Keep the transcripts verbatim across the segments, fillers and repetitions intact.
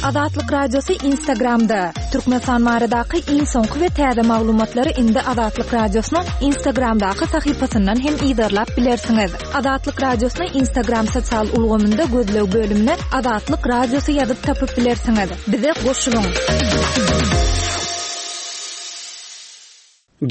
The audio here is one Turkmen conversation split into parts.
Azatlyk Radiosy Instagramda, Türkmenistan baradaky iň soňky we täze maglumatlary indi Azatlyk Radiosynyň Instagramdaky sahypasyndan hem yzarlap bilersiňiz. Azatlyk Radiosyny Instagram sosial ulgamynda gözleg bölümine Azatlyk Radiosy ýazyp tapyp bilersiňiz. Bize goşulyň.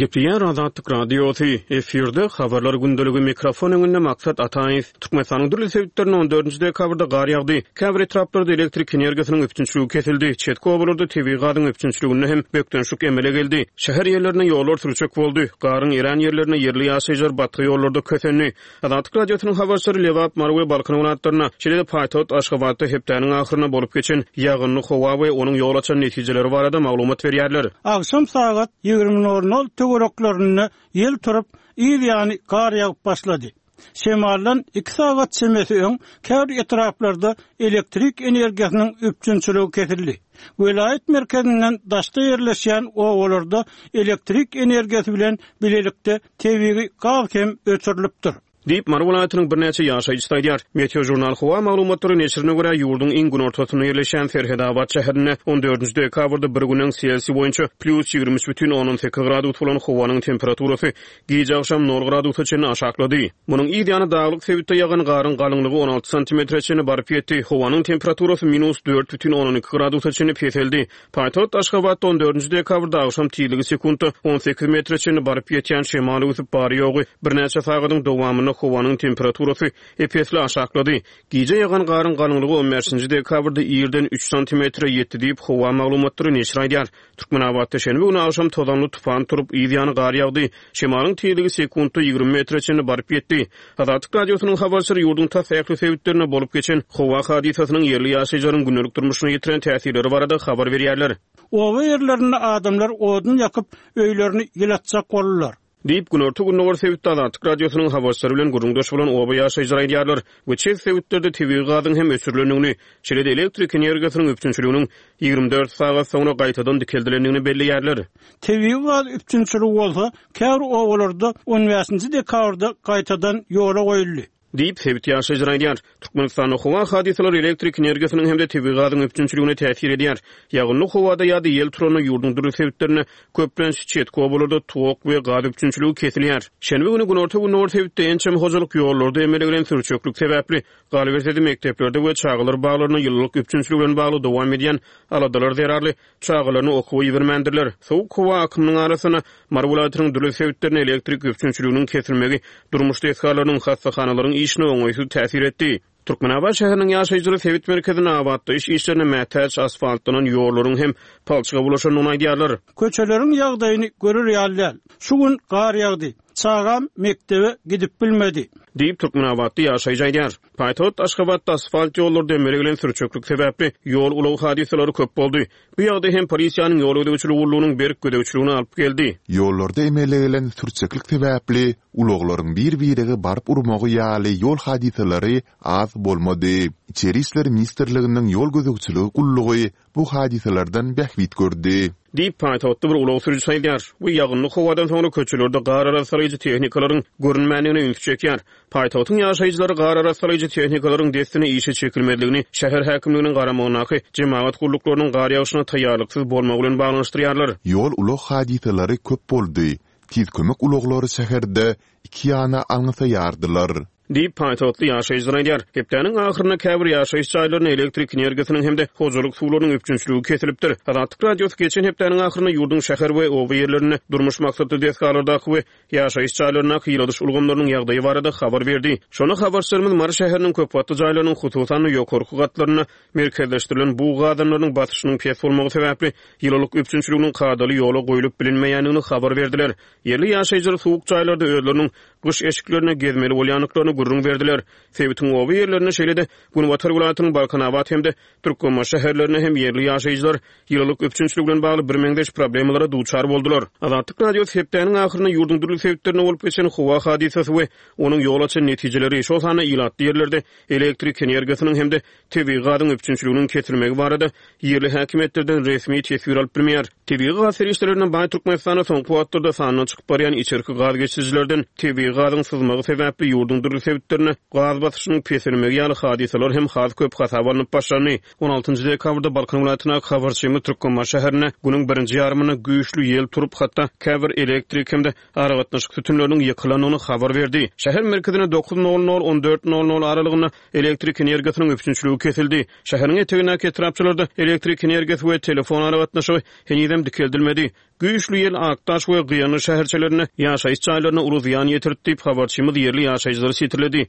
Gepleýär Azatlyk Radiosy, efirde habarlar gündeligi mikrofon öňünde Maksat Ataýew. Türkmenistanyň dürli sebitlerinde on dördünji dekabrda gar ýagdy. Käbir etraplarda elektrik energiýasynyň üpjünçiligi kesildi. Çetki obalarda tebigy gazyň üpjünçiliginde hem bökdençlik emele geldi. Şäher ýerlerinde ýollar sürçek boldy. Garyň erän ýerlerinde ýerli ýaşaýjylar batga ýollarda kösendi. Azatlyk Radiosynyň habarçylary Lebap, Mary we Balkan welaýatlarynda, şeýle-de paýtagt Aşgabatda hepdäniň ahyrynda bolup geçen ýagynly howa we onuň ýol açan netijeleri barada maglumat berýärler. Agşam sagat ýigrimi nol nol töwereklerinde ýel turup, yz ýany gar ýagyp başlady. Şemaldan iki sagat çemesi öň käbir etraplarda elektrik energiýasynyň üpjünçiligi kesildi. Welaýat merkezinden daşda ýerleşýän obalarda elektrik energiýasy bilen bilelikde tebigy gaz hem öçürilipdir. Diýip, Mary welaýatynyň birnäçe ýaşaýjysy aýdýar. Meteo žurnal howa maglumatlary neşirine görä, ýurduň iň günortasynda ýerleşýän Serhedabat şäherinde on dördünji dekabrda bir günüň Selsiý boýunça plýus ýigrimi üç bütin ondan sekiz gradus bolan howanyň temperaturasy gije agşam nol gradusa çenli aşaklady. Munuň yz ýany daglyk sebitde ýagan garyň galyňlygy on alty santimetre çenli baryp ýetdi. Howanyň temperaturasy minus dört bütin ondan iki gradusa çenli peseldi. Paýtagt Aşgabatda on dördünji dekabrda agşam tizligi sekuntda on sekiz metre çenli baryp ýetýän şemal öwsüp bary-ýogy birnäçe sagadyň dowamynda howanyň temperaturasy ep-esli aşaklady. Gije ýagan garyň galyňlygy on bäşinji dekabrda irden üç santimetre ýetdi diýip, howa maglumatlary neşir aýdýar. Türkmenabatda şenbe güni agşam tozanly tupan turup, yz ýany gar ýagdy. Şemalyň tizligi sekuntda ýigrimi metre çenli baryp ýetdi. Azatlyk Radiosynyň habarçylary ýurduň tas ähli sebitlerinde bolup geçen howa hadysasynyň ýerli ýaşaýjylaryň gündelik durmuşyna ýetiren täsirleri barada habar berýärler. Oba ýerlerinde adamlar odun ýakyp, öýlerini ýylatjak boldular. Diýip, Günorta-Gündogar sebitde Azatlyk Radiosynyň habarçylary bilen gürrüňdeş bolan oba ýaşaýjylary aýdýarlar we çet sebitlerde tebigy gazyň hem öçürilendigini, şeýle-de elektrik energiýasynyň üpjünçiliginiň ýigrimi dört sagat soňra gaýtadan dikeldilendigini belleýärler. Tebigy gaz üpjünçiligi bolsa, käbir obalarda on bäşinji dekabrda gaýtadan ýola goýuldy. Diýip, sebit ýaşaýjylary aýdýar. Türkmenistanda howa hadysalary elektrik energiýasynyň hem-de tebigy gazyň üpjünçiligine täsir edýär. Ýagynly howada ýa-da ýel turanda ýurduň dürli sebitlerinde köplenç çetki obalarda tok we gaz üpjünçiligi kesilýär. Şenbe güni Günorta-Gündogar sebitde ençeme hojalyk ýollarda emele gelen sürçeklik sebäpli galyberse-de mekdeplerde we çagalar baglarynda ýylylyk üpjünçiligi bilen bagly dowam edýän aladalar zerarly çagalaryny okuwa ibermändirler. Sowuk howa akymynyň arasynda Mary welaýatynyň dürli sebitlerinde elektrik üpjünçiliginiň kesilmegi durmuş desgalarynyň, hassahanalaryň işine oňaýsyz täsir etdi. Türkmenabat şäheriniň ýaşaýjylary sebit merkezinde abatlaýyş işlerine mätäç asfaltlanan ýollaryň hem palçyga bulaşandygyny aýdýarlar. Köçeleriň ýagdaýyny görür ýaly däl. Şu gün gar ýagdy. Çagam mekdebe gidip bilmedi. Diýip, Türkmenabatda ýaşaýjy aýdýar. Paýtagt Aşgabatda asfalt ýollarda emele gelen sürçeklik sebäpli ýol ulag hadysalary köp boldy. Bu ýagdaý hem polisiýanyň ýol gözegçiligi gullugynyň berk gözegçiligine alyp geldi. Ýollarda emele gelen sürçeklik sebäpli ulaglaryň bir-birege baryp urmagy ýaly ýol hadysalary az bolmady. Içeri işler ministrliginiň ýol gözegçiligi gullugy bu hadysalardan bähbit gördi. Diýip, paýtagtda bir ulag sürüjisi aýdýar. Bu ýagynly howadan soňra köçelerde gar arassalaýjy tehnikalaryň görünmändigine ünsi çekýär. Paýtagtyň ýaşaýjylary gar arassalaýjy tehnikalaryň dessine işe çekilmezligini şäher häkimliginiň garamagyndaky jemagat gulluklarynyň gar ýagşyna taýýarlyksyz bolmagy bilen baglanyşdyrýarlar. Ýol ulag hadysalary köp boldy. Tiz kömek ulaglary şäherde iki ýana alňasaýardylar. Diýip, paýtagtly ýaşaýjylar aýdýar. Hepdäniň ahyrynda käbir ýaşaýyş jaýlaryna elektrik energiýasynyň hem-de hojalyk suwlarynyň üpjünçiligi kesilipdir. Azatlyk Radiosy geçen hepdäniň ahyrynda ýurduň şäher we oba ýerlerinde durmuş maksatly desgalardaky we ýaşaýyş jaýlaryndaky ýyladyş ulgamlarynyň ýagdaýy barada habar berdi. Şonda habarçylarymyz Mary şäheriniň köp gatly jaýlarynyň hususan-da ýokarky gatlarynda merkezleşdirilen bug gazanlarynyň basyşynyň pes bolmagy sebäpli ýylylyk üpjünçiliginiň kadaly ýola goýlup bilinmeýändigini habar berdiler. Ýerli ýaşaýjylar soğuk jaýlarda özleriniň gyş eşiklerine gezmeli bolýandyklaryny gürrüň berdiler. Sebitiň oba ýerlerinde şeýle-de Günbatar welaýatynyň Balkanabat hem-de Türkmenbaşy şäherlerinde hem ýerli ýaşaýjylar ýylylyk üpjünçiligi bilen bagly birmeňzeş problemalara duçar boldular. Azatlyk Radiosy hepdäniň ahyrynda ýurduň dürli sebitlerinde bolup geçen howa hadysasy we onuň ýol açan netijeleri, şol sanda ilatly ýerlerde elektrik energiýasynyň hem-de tebigy gazyň üpjünçiliginiň kesilmegi barada ýerli häkimiýetlerden resmi teswir alyp bilmeýär. Tebigy gaz serişdelerinden baý Türkmenistanda soňky wagtlarda sandan çykyp barýan içerki gaz geçirijilerden tebigy gazyň syzmagy sebäpli ýurduň dürli sebitlerinde gaz basyşynyň peselmegi ýaly hadysalar hem has köp hasaba alnyp başlandy. On altynjy dekabrda Balkan welaýatyndaky habarçymyz Türkmenbaşy şäherinde günüň birinji ýarymynda güýçli ýel turup, hatda käbir elektrik hem-de aragatnaşyk sütünleriniň ýykylandygyny habar berdi. Şäher merkezinde dokuz nol nol, on dört nol nol aralygynda elektrik energiýasynyň üpjünçiligi kesildi. Şäheriň etegindäki etrapçalarda elektrik energiýasy we telefon aragatnaşygy henizem dikeldilmedi. Güýçli ýel Akdaş we Gyýanly şäherçelerinde ýaşaýyş jaýlaryna uly zyýan ýetirdi diýip, habarçymyz ýerli ýaşaýjylary sitirledi.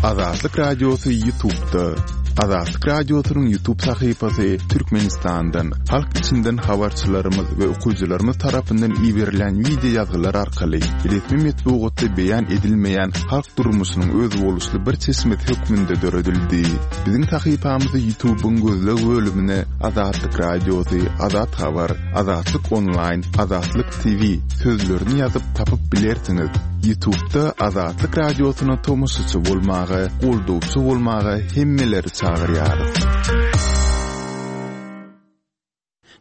Azatlyk Radiosy YouTube'da. Azatlyk Radiosynyň YouTube sahypasy Türkmenistandan, halk içinden habarçylarymyz we okyjylarymyz tarapyndan iberilen wideo ýazgylar arkaly resmi metbugatda beýan edilmeýän halk durmuşynyň özboluşly bir çeşmesi hökmünde döredildi. Biziň sahypamyzy YouTube'yň gözleg bölümine Azatlyk Radiosy, Azat Habar, Azatlyk Online, Azatlyk T V sözlerini ýazyp tapyp bilersiňiz. YouTube'da Azatlyk Radiosyna tomaşaçy bolmaga, goldawçy bolmaga hemmeleri çagyrýarys.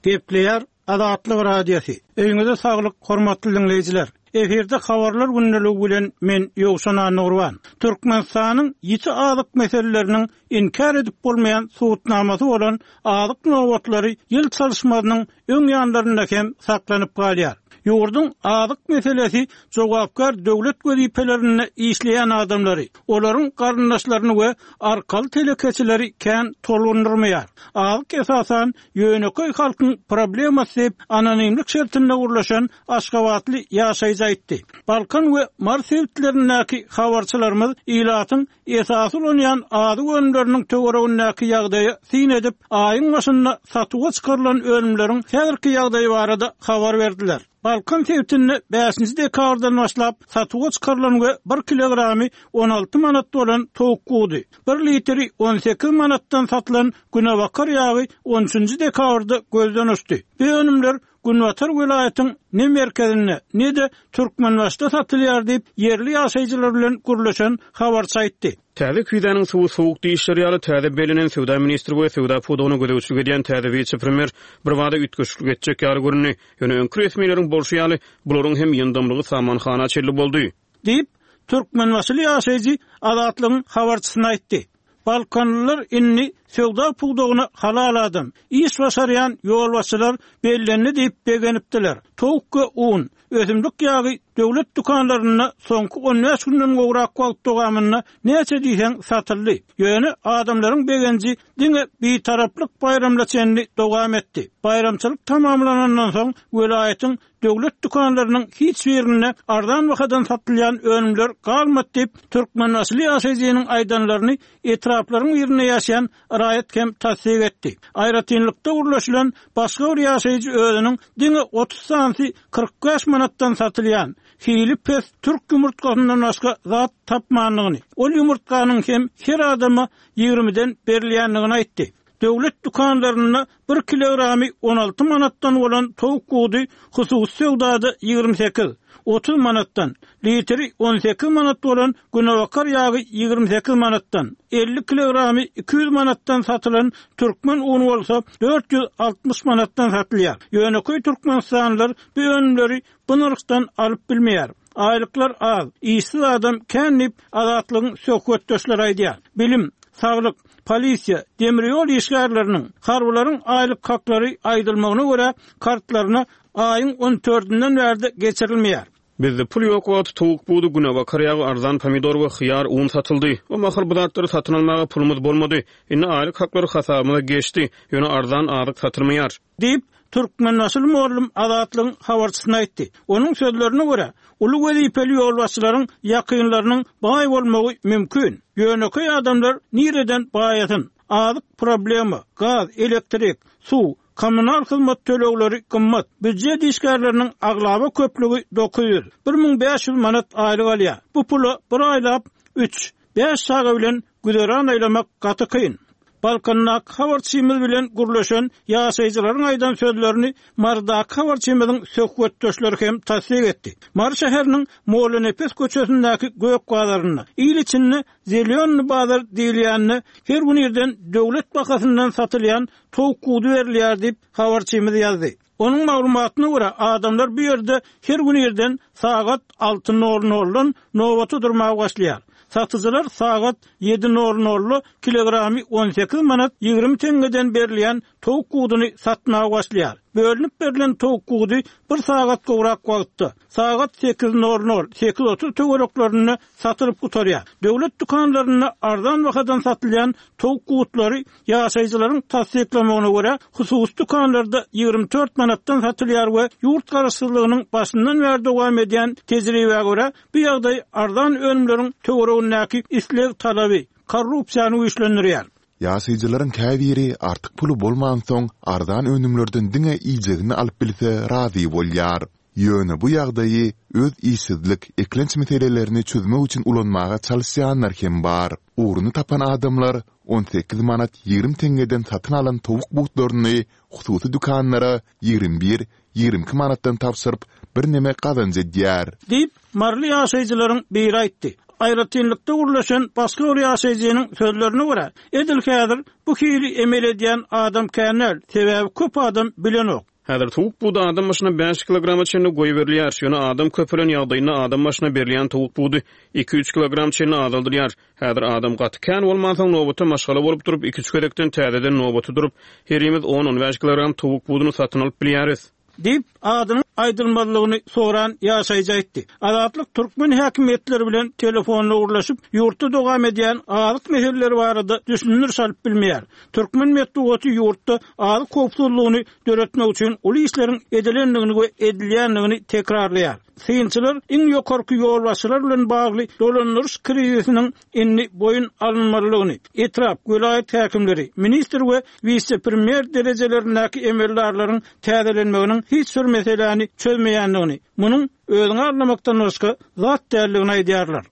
Gepleýär Azatlyk Radiosy. Öýüňize saglyk, hormatly dinleýjiler. Efirde habarlar gündeligi bilen men Ýowşan Annurban. Türkmenistanyň ýiti azyk meseleleriniň inkär edip bolmaýan subutnamasy bolan azyk nobatlary ýyl çalyşmasynyň öň ýanlarynda hem saklanyp galýar. Ýurduň azyk meselesi jogapkär döwlet wezipelerinde işleýän adamlary, olaryň garyndaşlaryny we arkaly telekeçileri kän tolgundurmaýar. Azyk esasan ýönekeý halkyň problemasy diýip anonimlik şertinde gurlaşan Aşgabatly ýaşaýjy aýtdy. Balkan we Mars sebitlerindäki habarçylarymyz ilatyň esasy ulanýan azyk önümleriniň töweregindäki ýagdaýy syn edip, aýyň başynda satuwa çykarylan önümleriň häzirki ýagdaýy barada habar berdiler. Balkan sebitinde bäşinji dekabrdan başlap satuwa çykarylan we bir kilogramy on alty manat bolan towuk gudy, bir litri on sekiz manatdan satylan günebakar ýagy on üçünji dekabrda gözden uçdy. Bu önümler Günbatar welaýatyň ne merkezinde, ne de Türkmenbaşda satylýar diýip, ýerli ýaşaýjylar bilen gürleşen habarçy aýtdy. Täze küýzäniň suwy soğuk diýişleri ýaly täze bellenen söwda ministri we söwda pudagyna gözegçilik edýän täze wise-premýer bir bada üýtgeşiklik etjek ýaly göründi. Ýöne öňki resmileriň bolşy ýaly bularyň hem ýyndamlygy samanhana çelli boldy. Diýip, Türkmenbaşyly ýaşaýjy Azatlygyň habarçysyna aýtdy. Balkanlylar indi söwda pudagyna halal adam, iş başarýan ýolbaşçylar bellendi diýip begenipdiler. Towuk we un, ösümlik ýagy döwlet dükanlarynda soňky on bäş günden gowrak wagt dowamynda näçe diýseň satyldy. Ýöne adamlaryň begenji diňe bitaraplyk baýramla çenli dowam etdi. Baýramçylyk tamamlanandan soň welaýatyň döwlet dükanlarynyň hiç birinde arzan bahadan satylýan önümler galmady diýip Türkmenbaşyly ýaşaýjynyň aýdanlaryny etraplaryň birinde ýaşaýan raýat hem tassyk etdi. Aýratynlykda gurlaşylan başga bir ýaşaýjy özüniň diňe otuz santy kyrk bäş manatdan satylýan hili pes türk ýumurtgasyndan başga zat tapmandygyny, ol ýumurtganyň hem her adama ýigrimiden berilýändigini aýtdy. Döwlet dükanlarynda bir kilogramy on alty manatdan bolan towuk gudy hususy söwdada ýigrimi sekiz, otuz manatdan, litri on sekiz manat bolan günebakar ýagy ýigrimi sekiz manatdan, elli kilogramy iki ýüz manatdan satylan türkmen uny bolsa dört ýüz altmyş manatdan satylýar. Ýönekeý Türkmenistanlylar bu önümleri bu nyrhdan alyp bilmeýär. Aýlyklar az, işsiz adam kän diýip Azatlygyň söhbetdeşleri aýdýar. Bilim, saglyk, polisiýa, demir ýol işgärleriniň, harbylaryň aýlyk haklary aýdylmagyna görä kartlaryna aýyň on dördünden bärde geçirilmeýär. Bizde pul ýok wagty towuk budy, günebakar ýagy, arzan pomidor we hyýar un satyldy. O mahal bu zatlary satyn almaga pulumyz bolmady. Indi aýlyk haklary hasabymyza geçdi. Ýöne arzan azyk satylmaýar. Diýip Türkmenbaşyly mugallym Azatlygyň habarçysyna aýtdy. Onuň sözlerine görä, uly wezipeli ýolbaşçylaryň ýakynlarynyň baý bolmagy mümkin. Ýönekeý adamlar nireden baýasyn? Azyk problema, gaz, elektrik, suw, kommunal hyzmat tölegleri gymmat. Býujet işgärleriniň aglaba köplügi dokuz ýüz, bir müň bäş ýüz manat aýlyk alýar. Bu pula bir aýlap üç, bäş çaga bilen güzeran aýlamak gaty kyn. Balkandaky habarçymyz bilen gürleşen ýaşaýjylaryň aýdan sözlerini Mardaky habarçymyzyň söhbetdeşleri hem tassyk etdi. Mary şäheriniň Mollanepes köçesindäki Gök bazarynda, il içinde Zelýonny bazar diýilýände her gün irden döwlet bahasyndan satylýan towuk gudy berilýär diýip habarçymyz ýazdy. Onuň maglumatyna görä, adamlar bu ýerde her gün irden sagat alty nol noldan nobata durmaga başlaýar. Satyjylar sagat ýedi nol nolda kilogramy on sekiz manat ýigrimi teňňeden berilýän towuk guduny satmaga başlaýar. Bölünip berlen towuk gudy bir sagat gowrak wagtda, sagat sekiz nol nol, sekiz otuz töwereklerinde satylyp gutarýar. Döwlet dükanlarynda arzan bahadan satylýan towuk gutlary ýaşaýjylaryň tassyklamagyna görä, hususy dükanlarda ýigrimi dört manatdan satylýar we ýurt garaşsyzlygynyň başyndan bäri dowam edýän tejribä görä, bu ýagdaý arzan önümleriň töweregindäki isleg talaby korrupsiýany güýçlendirýär. Ýaşaýjylaryň käbiri artyk puly bolmansoň, arzan önümlerden diňe iýjegini alyp bilse razy bolýar. Ýöne bu ýagdaýy öz işsizlik, eklenç meselelerini çözmek üçin ulanmaga çalyşýanlar hem bar. Ugruny tapan adamlar on sekiz manat ýigrimi teňňeden satyn alan towuk butlaryny hususy dükanlara ýigrimi bir, ýigrimi iki manatdan tabşyryp, birneme gazanç edýär. Diýip, maryly ýaşaýjylaryň biri aýtdy. Aýratynlykda gurlaşan başga bir ýaşaýjynyň sözlerine görä, edil häzir bu hili emel edýän adam känel, sebäbi köp adam bilenok. Häzir towuk budy adam başyna bäş kilograma çenli goýberilýär. Ýöne adam köpelen ýagdaýynda adam başyna berilýän towuk budy iki-üç kilogram çenli azaldylýar. Häzir adam gaty kän bolmansoň nobata maşgala bolup durup iki-üç gezekden täzeden nobata durup, herimiz on-on bäş kilogram towuk buduny satyn alyp bilýäris. Diýip, adynyň aýdylmazlygyny soran ýaşaýjy aýtdy. Azatlyk türkmen häkimiýetleri bilen telefonla gurlaşyp, ýurtda dowam edýän azyk meseleleri barada düşündiriş alyp bilmeýär. Türkmen metbugaty ýurtda azyk howpsuzlygyny döretmek üçin uly işleriň edilendigini we edilýändigini tekrarlaýar. Synçylar iň ýokarky ýolbaşçylar bilen bagly dolandyryş krizisiniň indi boýun alynmalydygyny, etrap, welaýat häkimleri, ministr we wise-premýer derejelerindäki emeldarlaryň täzelenmeginiň hiç bir meseläni çözmeýändigini, munuň özüňi aldamakdan başga zat däldigini aýdýarlar.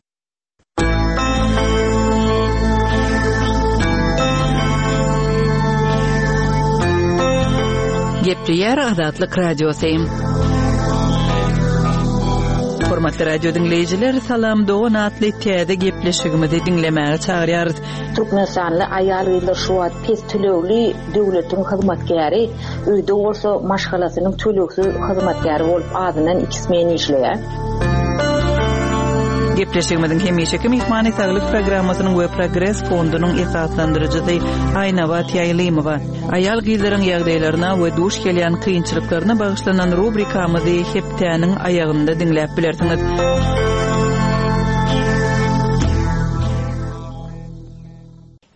Gepleýär Azatlyk Radiosy. Hormatly radio diňleýjiler, Salam Dogan atly täze gepleşigimizi diňlemäge çagyrýarys. Türkmenistanly aýal-gyzlar şu wagt pes tölegli döwletiň hyzmatkäri, öýde bolsa maşgalasynyň tölegsiz hyzmatkäri bolup azyndan iki smen işleýär. Gepleşigimiziň hemişeki myhmany saglyk programmasynyň we Progres fondunyň esaslandyryjysy Aýnabat Ýaýlymowa. Aýal gyzlaryň ýagdaýlaryna we duş gelýän kynçylyklaryna bagyşlanan rubrikamyzy hepdäniň aýagynda diňläp bilersiňiz.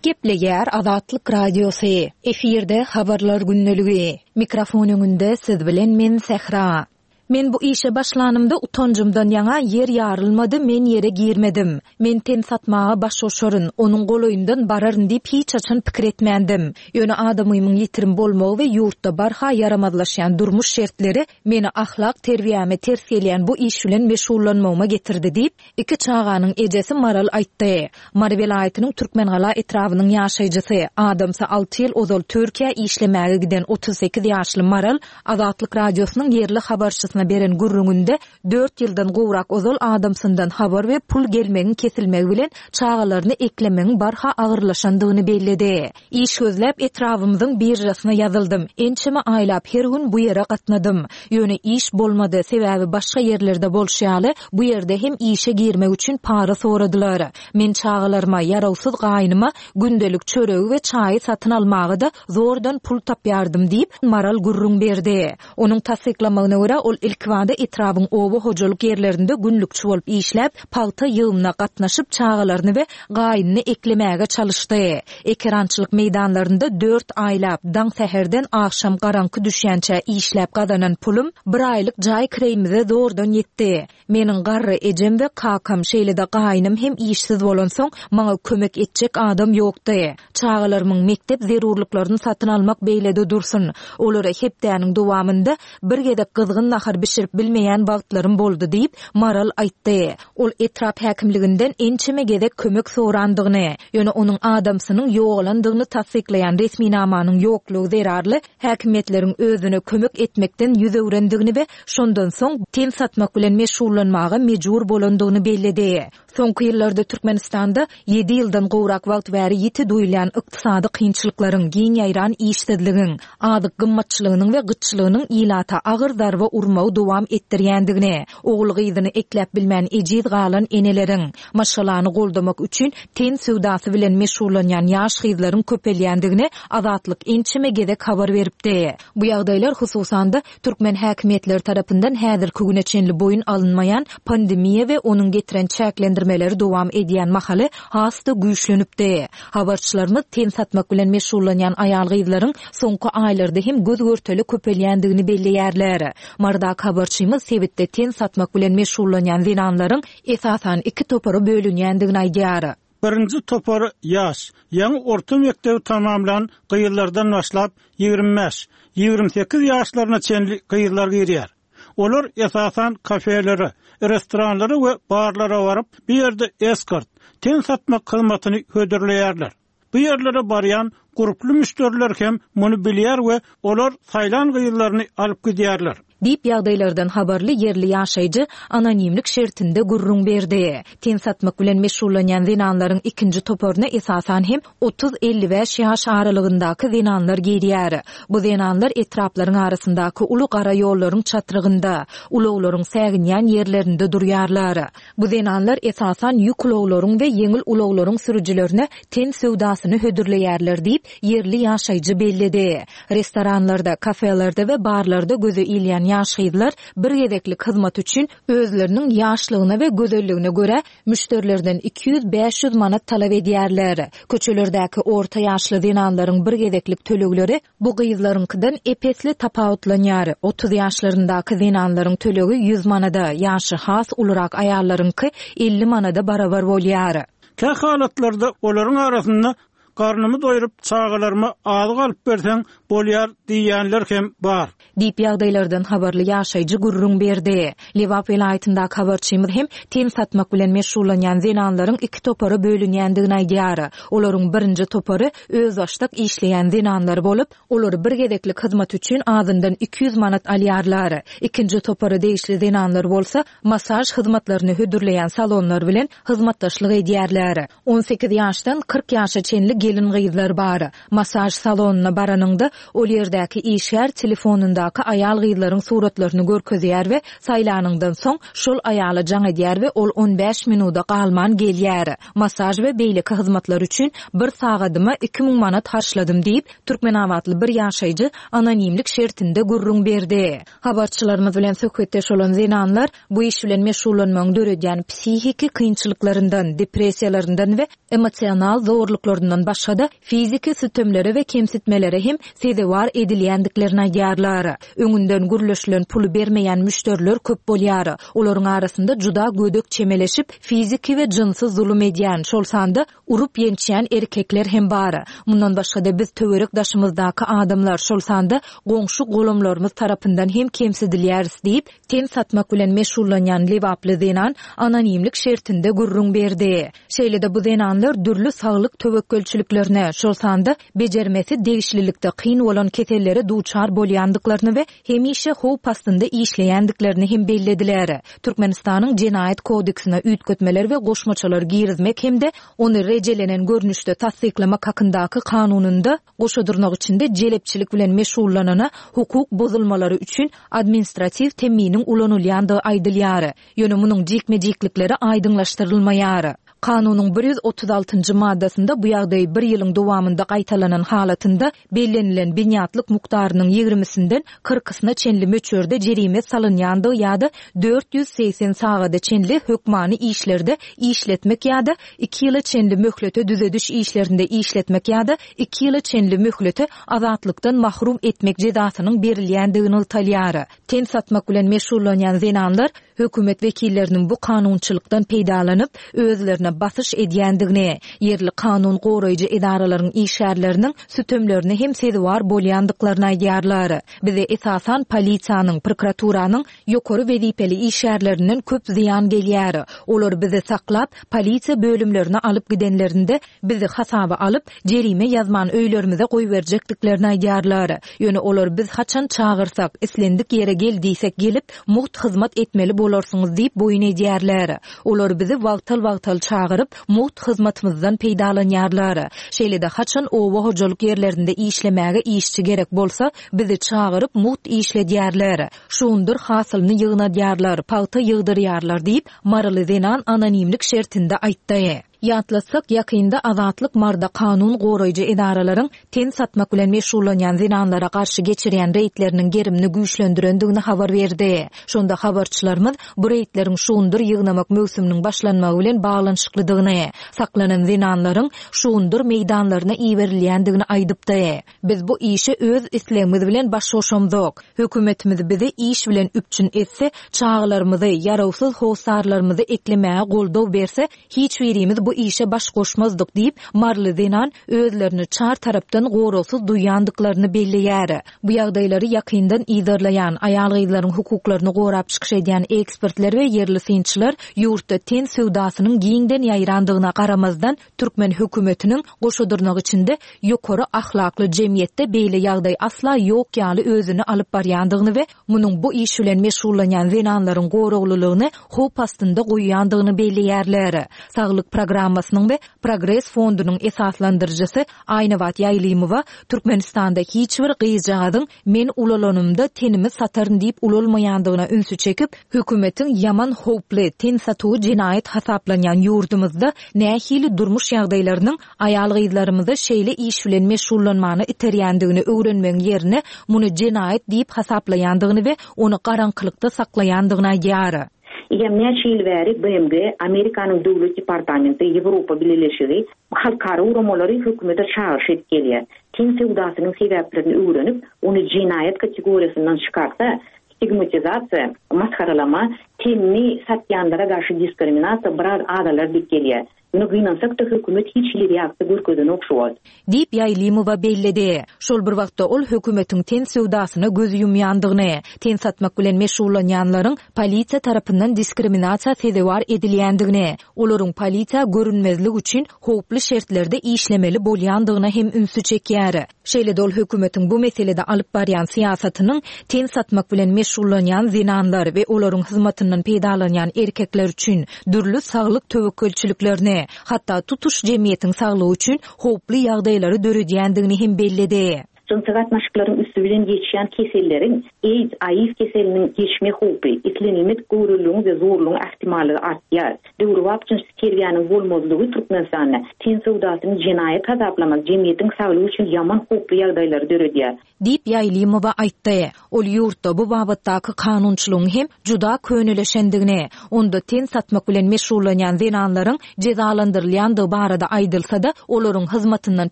Gepleýär Azatlyk Radiosy. Efirde habarlar gündeligi. Mikrofon öňünde siz bilen men Sähra. Men bu işe başlanymda utancımdan ýaňa ýer ýarylmady, men ýere girmedim. Men ten satmaga baş goşaryn, onuň golaýyndan bararyn diýip hiç haçan pikir etmändim. Ýöne adamymyň ýitirim bolmagy we ýurtda barha ýaramazlaşýan durmuş şertleri meni ahlak terbiýäme ters gelýän bu iş bilen meşgullanmagyma getirdi diýip, iki çaganyň ejesi Maral aýtdy. Mary welaýatynyň Türkmengala etrabynyň ýaşaýjysy, adamsy alty ýyl ozal Türkiýä işlemäge giden otuz sekiz ýaşly Maral Azatlyk Radiosynyň ýerli habarçysyna beren gürrüňinde dört ýyldan gowrak ozal adamsyndan habar we pul gelmegiň kesilmegi bilen çagalaryny eklemegiň barha agyrlaşandygyny belledi. Iş gözläp etrabymyzyň birjasyna ýazyldym. Ençeme aýlap her gün bu ýere gatnadym. Ýöne iş bolmady, sebäbi başga ýerlerde bolşy ýaly, bu ýerde hem işe girmek üçin para soradylar. Men çagalaryma, ýarawsyz gaýynyma gündelik çöregi we çaýy satyn almaga da zordan pul tapýardym diýip Maral gürrüň berdi. Onuň tassyklamagyna görä, ol ilkibada etrabyň oba hojalyk ýerlerinde günlükçi bolup işläp, pagta ýygymyna gatnaşyp çagalaryny we gaýynyny eklemäge çalyşdy. Ekerançylyk meýdanlarynda dört aýlap, daň säherden agşam garaňky düşýänçä işläp gazanan pulum bir aýlyk jaý kireýimize zordan ýetdi. Meniň garry ejem we kakam, şeýle-de gaýynym hem işsiz bolansoň, maňa kömek etjek adam ýokdy. Çagalarymyň mekdep zerurlyklaryny satyn almak beýlede dursun. Olara hepdäniň dowamynda bir gezek gyzgyn nahar nahar bişirip bilmeýän wagtlarym boldy diýip, Maral aýtdy. Ol etrap häkimliginden ençeme gezek kömek sorandygyny, ýöne onuň adamsynyň ýogalandygyny tassyklaýan resminamanyň ýoklugy zerarly häkimiýetleriň özüne kömek etmekden ýüz öwrendigini we şondan soň ten satmak bilen meşgullanmaga mejbur bolandygyny belledi. Soňky ýyllarda Türkmenistanda ýedi ýyldan gowrak wagt bäri ýiti duýulýan ykdysady kynçylyklaryň, giň ýaýran işsizligiň, azyk gymmatçylygynyň we gytçylygynyň ilata agyr zarba urmagy dowam etdirýändigini, ogul-gyzyny ekläp bilmän ejiz galan eneleriň, maşgalany goldamak üçin ten söwdasy bilen meşgullanýan ýaş gyzlaryň köpelýändigini Azatlyk ençeme gezek habar beripdi. Bu ýagdaýlar hususan-da türkmen häkimiýetleri tarapyndan häzirki güne çenli boýun alynmaýan pandemiýa we onuň getiren çäklendirmeleri dowam edýän mahaly has-da güýçlenipdi. Habarçylarymyz ten satmak bilen meşgullanýan aýal-gyzlaryň soňky aýlarda hem göz-görtele köpelýändigini belleýärler. Marydaky habarçymyz sebitde ten satmak bilen meşgullanýan zenanlaryň esasan iki topara bölünýändigini aýdýar. Birinji topar ýaş, ýaňy orta mekdebi tamamlan gyzlardan başlap ýigrimi bäş, ýigrimi sekiz ýaşlaryna çenli gyzlar girýär. Olar esasan kafelere, restoranlara we barlara baryp, bu ýerde eskort, ten satmak hyzmatyny hödürleýärler. Bu ýerlere barýan gurply müşderiler hem muny bilýär we olar saýlan gyzlaryny alyp gidýärler. Diýip ýagdaýlardan habarly ýerli ýaşaýjy anonimlik şertinde gürrüň berdi. Ten satmak bilen meşgullanýan zenanlaryň ikinji toparyna esasan hem otuz elli bäş ýaş aralygyndaky zenanlar girýär. Bu zenanlar etraplaryň arasyndaky uly gara ýollaryň çatrygynda, ulaglaryň säginýän ýerlerinde durýarlar. Bu zenanlar esasan ýük ulaglaryň we ýeňil ulaglaryň sürüjilerine ten söwdasyny hödürleýärler diýip, ýerli ýaşaýjy belledi. Restoranlarda, kafelerde we barlarda göze ilýän ýaş gyzlar bir gezeklik hyzmat üçin özleriniň ýaşlygyna we gözelligine görä müşderilerden iki ýüz bäş ýüz manat talap edýärler. Köçelerdäki orta ýaşly zenanlaryň bir gezeklik tölegleri bu gyzlaryňkydan epesli tapawutlanýar. Otuz ýaşlaryndaky zenanlaryň tölegi ýüz manada, ýaşy has ulurak aýallaryňky elli manada barabar bolýar. Kä halatlarda olaryň arasynda garnymy doýuryp çagalaryma azyk alyp berseň bolýar diýenler hem bar. Diýip ýagdaýlardan habarly ýaşaýjy gürrüň berdi. Lebap welaýatyndaky habarçymyz hem ten satmak bilen meşgullanýan zenanlaryň iki topara bölünýändigini aýdýar. Olaryň birinji topary özbaşdak işleýän zenanlar bolup, olary bir gezeklik hyzmat üçin azyndan iki ýüz manat alýarlar. Ikinji topara degişli zenanlar bolsa masaj hyzmatlaryny hödürleýän salonlar bilen hyzmatdaşlyk edýärler. On sekiz ýaşdan kyrk ýaşa çenli gelin gyzlar bar. Masaj salonyna baranyňda ol ýerdäki işgär telefonundaky aýal gyzlaryň suratlaryny görkezýär we saýlanyňdan soň şol aýala jaň edýär we ol on bäş minuda galman gelýär. Masaj we beýleki hyzmatlar üçin bir sagadyma iki müň manat harçladym diýip, Türkmenabatly bir ýaşaýjy anonimlik şertinde gürrüň berdi. Habarçylarymyz bilen söhbetdeş bolan zenanlar bu iş bilen meşgullanmagyň döredýän psihiki kynçylyklaryndan, depressiýalaryndan we emosional zorluklaryndan başga-da fiziki sütemlere we kemsitmelere hem sezewar edilýändiklerini aýdýarlar. Öňünden gürleşilen puly bermeýän müşderiler köp bolýar. Olaryň arasynda juda gödek çemeleşip, fiziki we jynsy zulum edýän, şol sanda urup ýençýän erkekler hem bar. Mundan başga-da biz töwerek daşymyzdaky adamlar, şol sanda goňşy golamlarymyz tarapyndan hem kemsidilýäris diýip, ten satmak bilen meşgullanýan Lebaply zenan anonimlik şertinde gürrüň berdi. Şeýle-de bu zenanlar dürli saglyk töwekgelçiliklerine, şol sanda bejermesi degişlilikde kyn bolan kesellere duçar bolýandyklaryny we hemişe howp astynda işleýändiklerini hem bellediler. Türkmenistanyň Jenaýat kodeksine üýtgetmeler we goşmaçalar girizmek hem-de ony rejelenen görnüşde tassyklamak hakyndaky kanunynda goşadyrnak içinde jelepçilik bilen meşgullanana hukuk bozulmalary üçin administratiw temminiň ulanylýandygy aýdylýar. Ýöne munuň jikme-jiklikleri aýdyňlaşdyrylmaýar. Kanunyň bir ýüz otuz altynjy maddasynda bu ýagdaý bir ýylyň dowamynda gaýtalanan halatynda bellenilen binýatlyk mukdarynyň ýigrimisinden kyrkysyna çenli möçberde jerime salynýandygy ýa-da dört ýüz segsen sagada çenli hökmany işlerde işletmek ýa-da iki ýyla çenli möhlete düzediş işlerinde işletmek ýa-da iki ýyla çenli möhlete azatlykdan mahrum etmek jezasynyň berilýändigini nygtalýar. Ten satmak bilen meşgullanýan zenanlar Hökümet wekilleriniň bu kanunçylykdan peýdalanyp, özlerine basyş edýändigini, ýerli kanun goraýjy edaralaryň işgärleriniň sütemlerine hem sezewar bolýandyklaryny aýdýarlar. Bize esasan polisiýanyň, prokuraturanyň ýokary wezipeli işgärlerinden köp zyýan gelýär. Olar bizi saklap, polisiýa bölümlerine alyp gidenlerinde bizi hasaba alyp, jerime ýazman öýlerimize goýberjekdiklerini aýdýarlar. Ýöne olar biz haçan çagyrsak, islendik ýere gel diýsek gelip, mugt hyzmat etmeli bolarsyňyz diýip boýun edýärler. Olar bizi wagtal-wagtal çagyryp, mugt hyzmatymyzdan peýdalanýarlar. Şeýle-de haçan oba hojalyk ýerlerinde işlemäge işçi gerek bolsa, bizi çagyryp mugt işledýärler. Şugundyr hasylyny ýygnadýarlar, pagta ýygdyrýarlar diýip, maryly zenan anonimlik şertinde aýtdy. Ýatlatsak, ýakynda Azatlyk Marda kanun goraýjy edaralaryň ten satmak bilen meşgullanýan zenanlara garşy geçirýän reýdleriniň gerimini güýçlendirendigini habar berdi. Şonda habarçylarymyz bu reýdleriň şugundyr ýygnamak möwsüminiň başlanmagy bilen baglanyşyklydygyny, saklanan zenanlaryň şugundyr meýdanlaryna iberilýändigini aýdypdy. Biz bu işe öz islegimiz bilen baş goşamzok. Hökümetimiz bizi iş bilen üpjün etse, çagalarymyzy, ýarawsyz hossarlarymyzy eklemäge goldaw berse, hiç birimiz bu işe baş goşmazdyk diýip, maryly zenan özlerini çar tarapdan goragsyz duýýandyklaryny belleýär. Bu ýagdaýlary ýakyndan yzarlaýan, aýal-gyzlaryň hukuklaryny gorap çykyş edýän ekspertler we ýerli synçylar ýurtda ten söwdasynyň giňden ýaýrandygyna garamazdan, türkmen hökümetiniň goşa dyrnak içinde ýokary ahlakly jemgyýetde beýle ýagdaý asla ýok ýaly özüni alyp barýandygyny we munuň bu iş bilen meşgullanýan zenanlaryň goraglylygyny howp astynda goýýandygyny belleýärler. Saglyk programmasynyň we Progres fondunyň esaslandyryjysy Aýnabat Ýaýlymowa Türkmenistanda hiç bir gyzjagazyň men ulalanymda tenimi sataryn diýip ulalmaýandygyna ünsi çekip, hökümetiň ýaman howply ten satuwy jenaýat hasaplanýan ýurdumyzda nähili durmuş ýagdaýlarynyň aýal-gyzlarymyzy şeýle iş bilen meşgullanmana iterýändigini öwrenmegiň ýerine muny jenaýat diýip hasaplaýandygyny we ony garaňkylykda saklaýandygyny aýdýar. Eýýäm näçe ýyl bäri B M G, Amerikanyň Döwlet departamenti, Ýewropa Bileleşigi, halkara guramalary hökümete çagyryş edip gelýär. Ten söwdasynyň sebäplerini öwrenip, ony jenaýat kategoriýasyndan çykarsa, stigmatizasiýa, masgaralama, tenini satýanlara garşy diskriminasiýa biraz azalar diýip gelýär. Muny gynansak-da hökümet hiç hili reaksiýa görkezenok şu wagt. Diýip Ýaýlymowa belledi. Şol bir wagtda ol hökümetiň ten söwdasyna göz ýumýandygyny, ten satmak bilen meşgullanýanlaryň polisiýa tarapyndan diskriminasiýa sezewar edilýändigini, olaryň polisiýa görünmezlik üçin howply şertlerde işlemeli bolýandygyna hem ünsi çekýär. Şeýle-de ol hökümetiň bu meselede alyp barýan syýasatynyň ten satmak bilen meşgullanýan zenanlar we olaryň hyzmatyndan peýdalanýan erkekler üçin dürli saglyk töwekgelçiliklerini, hatda tutuş jemgyýetiň saglygy üçin howply ýagdaýlary döredýändigini hem belledi. Jynsy gatnaşyklaryň üsti bilen geçýän keselleriň AIDS, A I V keseliniň geçme howpy, islenilmedik göwreliligiň we zorlugyň ähtimallygy artýar. Döwrebap jynsy terbiýäniň bolmazlygy Türkmenistanda ten söwdasyny jenaýat hasaplamak jemgyýetiň saglygy üçin ýaman howply ýagdaýlary döredýär. Diýip Ýaýlymowa aýtdy. Ol ýurtda bu babatdaky kanunçylygyň hem juda könelişendigini, onda ten satmak bilen meşgullanýan zenanlaryň jezalandyrylýandygy barada aýdylsa-da, olaryň hyzmatyndan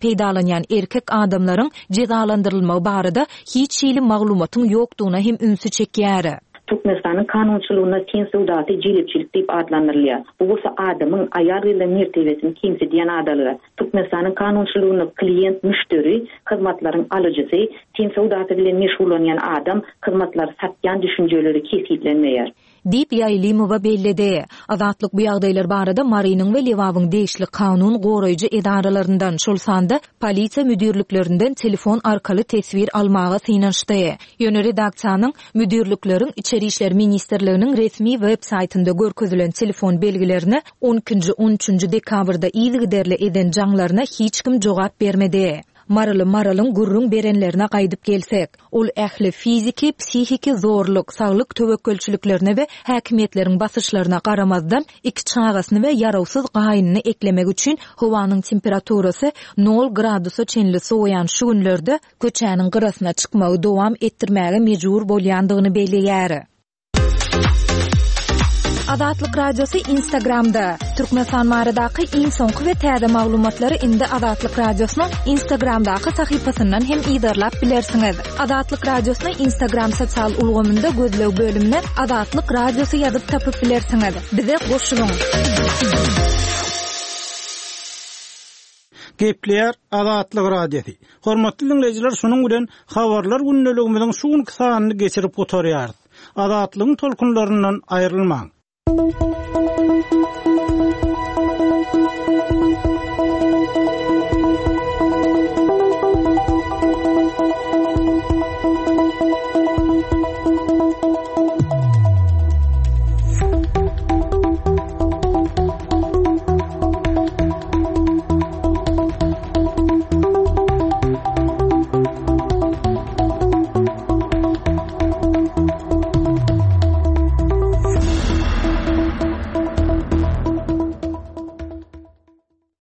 peýdalanýan erkek adamlaryň jezalandyrylmagy barada hiç hili maglumatyň ýokdugyna hem ünsi çekýär. Türkmenistanyň kanunçylygynda ten söwdasy jelepçilik diýip atlandyrylýar. Bu bolsa adamyň aýal-gyzlaryň mertebesini kemsidýän adalygy. Türkmenistanyň kanunçylygynda klient, müşderi, hyzmatlaryň alyjysy, ten söwdasy bilen meşgullanýan adam, hyzmatlary satýan düşünjeleri kesgitlenmeýär. Diýip Ýaýlymowa belledi. Azatlyk bu ýagdaýlar barada Marynyň we Lebabyň degişli kanun goraýjy edaralaryndan, şol sanda polisiýa müdirliklerinden telefon arkaly teswir almaga synanyşdy. Ýöne redaksiýanyň müdirlikleriň Içeri işler ministrliginiň resmi web saýtynda görkezilen telefon belgilerine on ikinji, on üçünji dekabrda yzygiderli eden jaňlaryna hiç kim jogap bermedi. Maryly Maralyň gürrüň berenlerine gaýdyp gelsek, ol ähli fiziki, psihiki zorluk, saglyk töwekgelçiliklerine we häkimiýetleriň basyşlaryna garamazdan iki çagasyny we ýarawsyz gaýynyny eklemek üçin howanyň temperaturasy nol gradusa çenli sowaýan şu günlerde köçäniň gyrasyna çykmagy dowam etdirmäge mejbur bolýandygyny belleýär. Azatlyk Radiosy Instagramda. Türkmenistan baradaky iň soňky we täze maglumatlary indi Azatlyk Radiosynyň Instagramdaky sahypasyndan hem yzarlap bilersiňiz. Azatlyk Radiosyny Instagram sosial ulgamynda gözleg bölümine Azatlyk Radiosy ýazyp tapyp bilersiňiz. Bize goşulyň. Gepleýär Azatlyk Radiosy. Hormatly dinleýjiler, şunuň bilen habarlar gündeligimiziň şu günki sanyny geçirip gutarýarys. Azatlygyň tolkunlaryndan aýrylmaň.